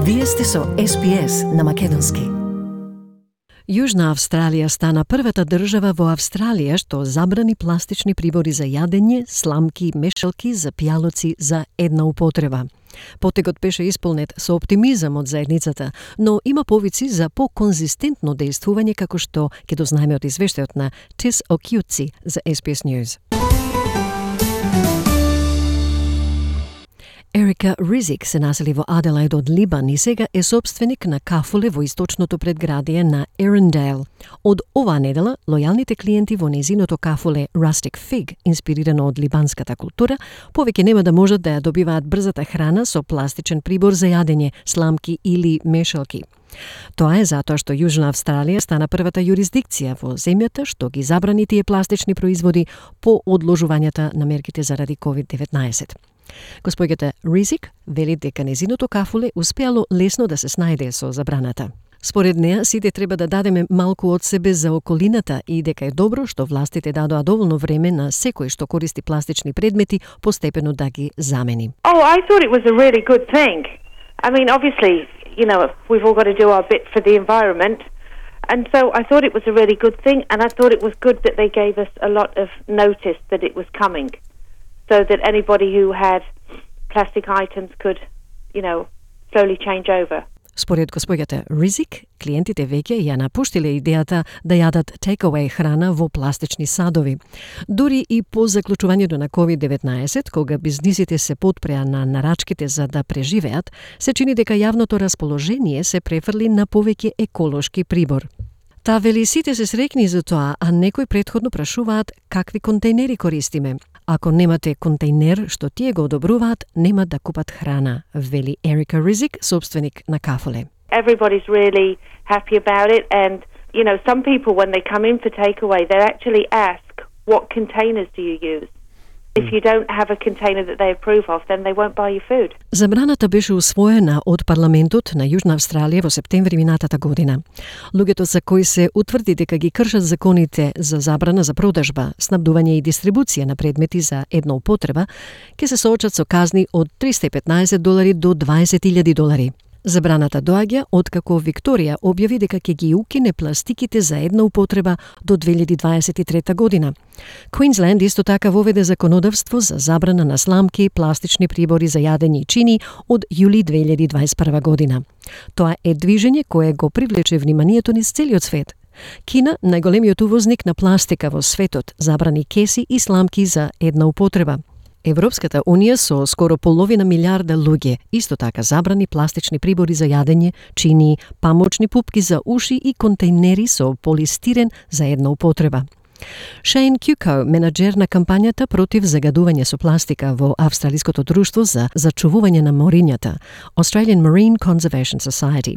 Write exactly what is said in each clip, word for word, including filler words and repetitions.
Вие сте со Ес Би Ес на македонски. Јужна Австралија стана првата држава во Австралија што забрани пластични прибори за јадење, сламки и мешалки за пијалоци за една употреба. Потегот беше исполнет со оптимизам од заедницата, но има повици за по-конзистентно дејствување, како што ќе дознаеме од извештајот на Тис Окјуци за Ес Би Ес News. Ерика Ризик се насели во Аделаид од Либан и сега е собственик на кафуле во источното предградие на Ерендейл. Од оваа недела, лојалните клиенти во незиното кафуле Rustic Fig, инспирирано од либанската култура, повеќе нема да можат да ја добиваат брзата храна со пластичен прибор за јадење, сламки или мешалки. Тоа е затоа што Јужна Австралија стана првата јурисдикција во земјата што ги забрани тие пластични производи по одложувањата на мерките заради ковид деветнаесет. Господјата Ризик вели дека незиното кафуле успеало лесно да се снајде со забраната. Според неа, сите треба да дадеме малку од себе за околината и дека е добро што властите дадоа доволно време на секој што користи пластични предмети постепено да ги замени. Oh, I thought it was a really good thing. I mean, obviously, you know, we've all got to do our bit for the environment. And so I thought it was a really good thing, and I thought it was good that they gave us a lot of notice that it was coming, so that anybody who had plastic items could, you know, slowly change over. Според господјата Ризик, клиентите веќе ја напуштиле идејата да јадат take-away храна во пластични садови. Дури и по заклучувањето на ковид деветнаесет, кога бизнисите се потпреа на нарачките за да преживеат, се чини дека јавното расположение се префрли на повеќе еколошки прибор. Та вели сите се среќни за тоа, а некои претходно прашуваат какви контейнери користиме. Ако немате контейнер што тие го одобруваат, нема да купат храна, вели Ерика Ризик, собственик на кафуле. Everybody's really happy about it, and you know, some people when they come in for takeaway, they actually ask, what containers do you use? If you don't have a container that they approve of, then they won't buy you food. Забраната беше усвоена од парламентот на Јужна Австралија во септември минатата година. Луѓето за кои се утврди дека ги кршат законите за забрана за продажба, снабдување и дистрибуција на предмети за една употреба, ќе се соочат со казни од триста и петнаесет долари до дваесет илјади долари. Забраната доаѓа откако Викторија објави дека ќе ги укине пластиките за една употреба до две илјади дваесет и трета година. Квинсленд исто така воведе законодавство за забрана на сламки, пластични прибори за јадење и чини од јули две илјади дваесет и прва година. Тоа е движење кое го привлече вниманието низ целиот свет. Кина, најголемиот увозник на пластика во светот, забрани кеси и сламки за една употреба. Европската Унија со скоро половина милиарда луѓе исто така забрани пластични прибори за јадење, чини, памучни пупки за уши и контейнери со полистирен за една употреба. Шейн Кјуко, менаџер на кампањата против загадување со пластика во Австралиското друштво за зачувување на морињата, Australian Marine Conservation Society,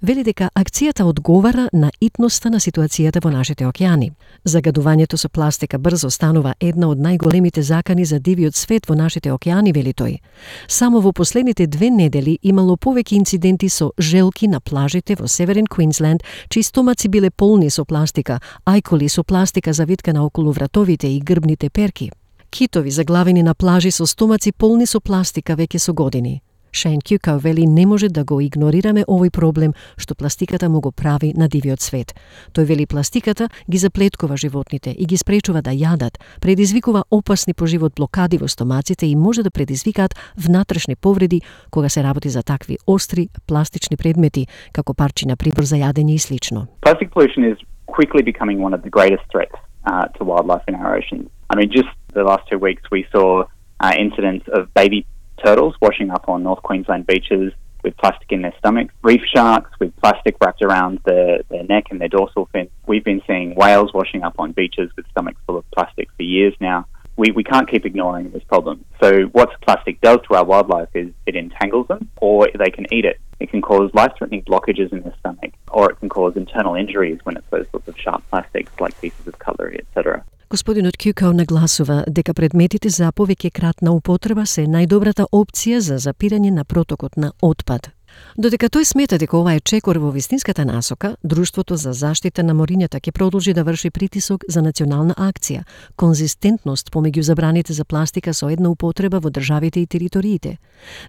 вели дека акцијата одговара на итноста на ситуацијата во нашите океани. Загадувањето со пластика брзо станува една од најголемите закани за дивиот свет во нашите океани, вели тој. Само во последните две недели имало повеќе инциденти со желки на плажите во Северен Квинсленд, чии стомаци биле полни со пластика, ајкули со пластика завиткана околу вратовите и грбните перки. Китови заглавени на плажи со стомаци полни со пластика веќе со години. Шейн Кјуко вели не може да го игнорираме овој проблем што пластиката му го прави на дивиот свет. Тој вели пластиката ги заплеткува животните и ги спречува да јадат, предизвикува опасни по живот блокади во стомаците и може да предизвикаат внатрешни повреди кога се работи за такви остри пластични предмети, како парчина прибор за јадење и слично. Plastic pollution is quickly becoming one of the greatest threats uh, to wildlife in our oceans. I mean, just the last two weeks we saw uh, incidents of baby turtles washing up on North Queensland beaches with plastic in their stomachs, reef sharks with plastic wrapped around their, their neck and their dorsal fin. We've been seeing whales washing up on beaches with stomachs full of plastic for years now. We, we can't keep ignoring this problem. So what plastic does to our wildlife is it entangles them, or they can eat it. It can cause life-threatening blockages in their stomach, or it can cause internal injuries when it's those sorts of sharp plastics like pieces of cutlery, et cetera. Господинот Кјуко нагласува дека предметите за повеќе кратна употреба се најдобрата опција за запирање на протокот на отпад. Додека тој смета дека ова е чекор во вистинската насока, Друштвото за заштита на морињата ќе продолжи да врши притисок за национална акција, конзистентност помеѓу забраните за пластика со една употреба во државите и териториите.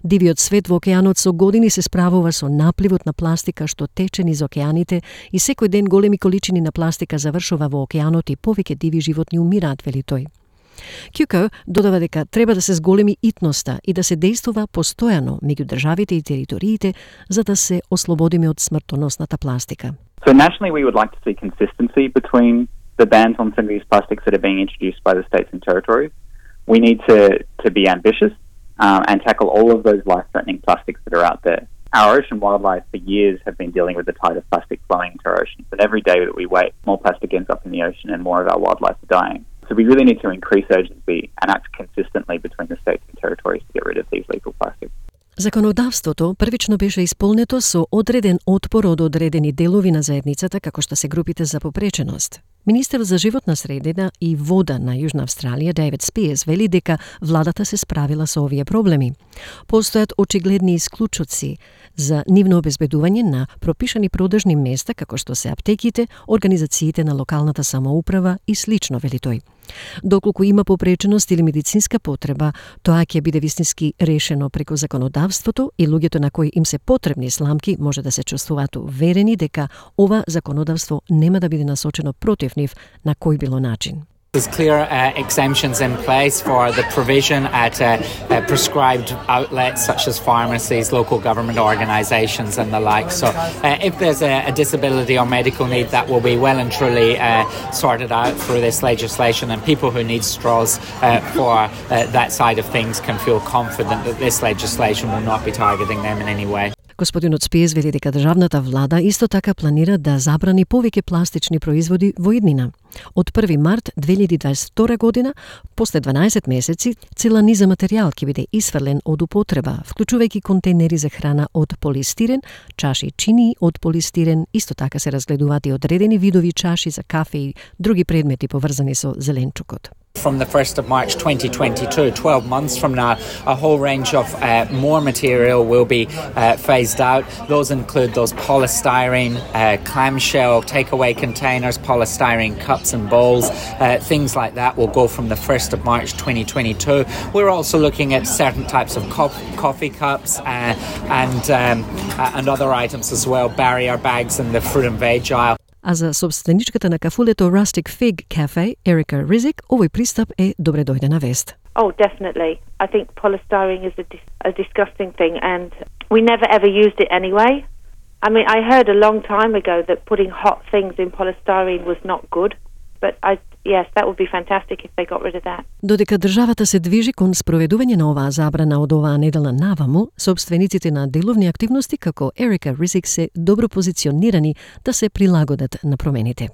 Дивиот свет во океанот со години се справува со напливот на пластика што тече низ океаните и секој ден големи количини на пластика завршува во океанот и повеќе диви животни умираат, вели тој. Кјуко додава дека треба да се зголеми итноста и да се действува постојано меѓу државите и териториите за да се ослободиме од смртоносната пластика. So nationally we would like to see consistency between the bans on single-use plastics that are being introduced by the states and territories. We need to, to be ambitious um, and tackle all of those life-threatening plastics that are out there. Our ocean wildlife for years have been dealing with the tide of plastic flowing into our oceans, and every day that we wait, more plastic ends up in the ocean and more of our wildlife are dying. So we really need to increase urgency and act consistently between the states and territories to get rid of these lethal plastics. Законодавството првично беше исполнето со одреден отпор од одредени делови на заедницата како што се групите за попреченост. Министер за животна средина и вода на Јужна Австралија Дейвид Спиерс вели дека владата се справила со овие проблеми. Постојат очигледни исклучоци за нивно обезбедување на пропишани продажни места како што се аптеките, организациите на локалната самоуправа и слично, вели тој. Доколку има попреченост или медицинска потреба, тоа ќе биде вистински решено преку законодавството и луѓето на кои им се потребни сламки може да се чувствуваат уверени дека ова законодавство нема да биде насочено против нив на кој било начин. There's clear uh, exemptions in place for the provision at uh, uh, prescribed outlets such as pharmacies, local government organisations and the like. So uh, if there's a, a disability or medical need, that will be well and truly uh, sorted out through this legislation, and people who need straws uh, for uh, that side of things can feel confident that this legislation will not be targeting them in any way. Господинот Спиерс вели дека државната влада исто така планира да забрани повеќе пластични производи во иднина. Од први март две илјади дваесет и втора година, после дванаесет месеци, цела низа материјал ќе биде исфрлен од употреба, вклучувајќи контейнери за храна од полистирен, чаши чини од полистирен, исто така се разгледуваат и одредени видови чаши за кафе и други предмети поврзани со зеленчукот. From the first of March twenty twenty-two, twelve months from now, a whole range of uh, more material will be uh, phased out. Those include those polystyrene, uh, clamshell, takeaway containers, polystyrene cups and bowls, uh, things like that will go from the first of March twenty twenty-two. We're also looking at certain types of co- coffee cups uh, and, um, uh, and other items as well, barrier bags in the fruit and veg aisle. А за собственичката на кафулето Rustic Fig Cafe, Erica Rizik, овој пристап е добре дојдена вест. Oh, definitely. I think polystyrene is a, dis- a disgusting thing, and we never ever used it anyway. I mean, I heard a long time ago that putting hot things in polystyrene was not good, but I yes, that would be fantastic if they got rid of that. Додека државата се движи кон спроведување на оваа забрана од оваа недела наваму, собствениците на деловни активности како Ерика Ризик се добро позиционирани да се прилагодат на промените.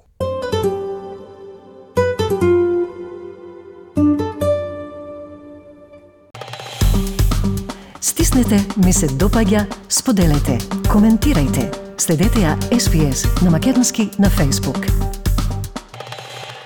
Стиснете, ми се допаѓа, споделете, коментирајте. Следете ја Ес Би Ес на македонски на Facebook.